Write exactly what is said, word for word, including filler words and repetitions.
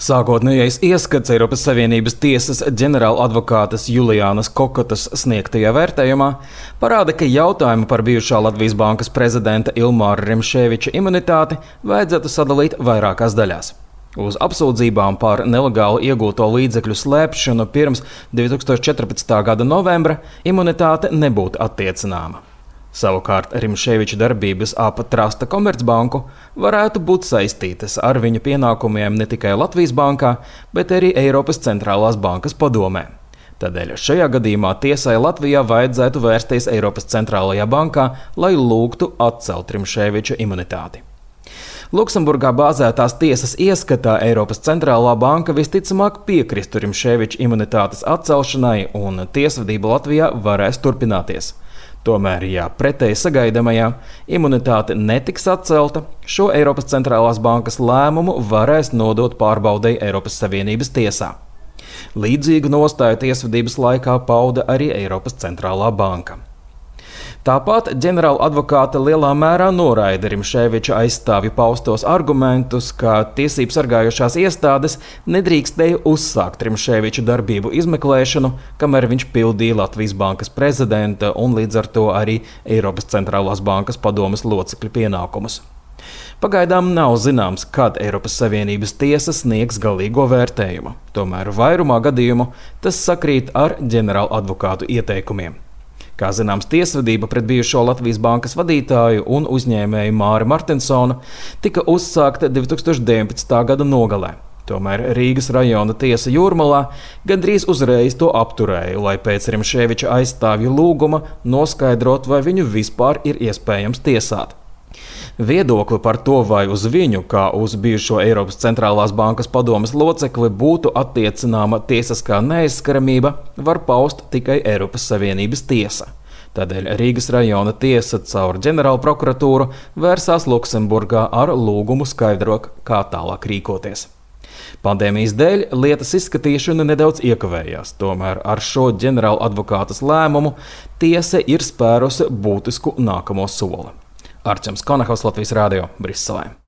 Sākotnējais ieskats Eiropas Savienības tiesas ģenerāla advokātes Julijānas Kokotas sniegtajā vērtējumā parāda, ka jautājumu par bijušā Latvijas Bankas prezidenta Ilmāra Rimšēviča imunitāti vajadzētu sadalīt vairākās daļās. Uz apsūdzībām par nelegāli iegūto līdzekļu slēpšanu pirms divi tūkstoši četrpadsmitā gada novembra imunitāte nebūtu attiecināma. Savukārt Rimšēviča darbības ap Trasta Komercbanku varētu būt saistītas ar viņa pienākumiem ne tikai Latvijas bankā, bet arī Eiropas centrālās bankas padomē. Tādēļ šajā gadījumā tiesai Latvijā vajadzētu vērsties Eiropas centrālajā bankā, lai lūgtu atcelt Rimšēviča imunitāti. Luksemburgā bāzētās tiesas ieskatā Eiropas centrālā banka visticamāk piekristu Rimšēviča imunitātes atcelšanai, un tiesvedība Latvijā varēs turpināties. Tomēr, ja pretēji sagaidāmajā imunitāte netiks atcelta, šo Eiropas centrālās bankas lēmumu varēs nodot pārbaudei Eiropas Savienības tiesā. Līdzīgu nostāju tiesvedības laikā pauda arī Eiropas centrālā banka. Tāpat ģenerāla advokāte lielā mērā noraida Rimšēviča aizstāvju paustos argumentus, ka tiesību sargājošās iestādes nedrīkstēja uzsākt Rimšēviča darbību izmeklēšanu, kamēr viņš pildīja Latvijas Bankas prezidenta un līdz ar to arī Eiropas centrālās bankas padomes locekļu pienākumus. Pagaidām nav zināms, kad Eiropas Savienības tiesa sniegs galīgo vērtējumu. Tomēr vairumā gadījumu tas sakrīt ar ģenerāla advokātu ieteikumiem. Kā zināms, tiesvedība pret bijušo Latvijas Bankas vadītāju un uzņēmēju Māri Martinsonu tika uzsākta divi tūkstoši deviņpadsmitā gada nogalē. Tomēr Rīgas rajona tiesa Jūrmalā gandrīz uzreiz to apturēja, lai pēc Rimšēviča aizstāvju lūguma noskaidrot, vai viņu vispār ir iespējams tiesāt. Viedokli par to, vai uz viņu, kā uz bijušo Eiropas centrālās bankas padomes locekli, būtu attiecināma tiesiskā neaizskaramība, var paust tikai Eiropas Savienības tiesa. Tādēļ Rīgas rajona tiesa caur ģenerāla prokuratūru vērsās Luksemburgā ar lūgumu skaidrot, kā tālāk rīkoties. Pandēmijas dēļ lietas izskatīšana nedaudz iekavējās, tomēr ar šo ģenerāla advokātes lēmumu tiesa ir spērusi būtisku nākamo soli. Arčuns Konahaus, Latvijas Rādio, Briselē.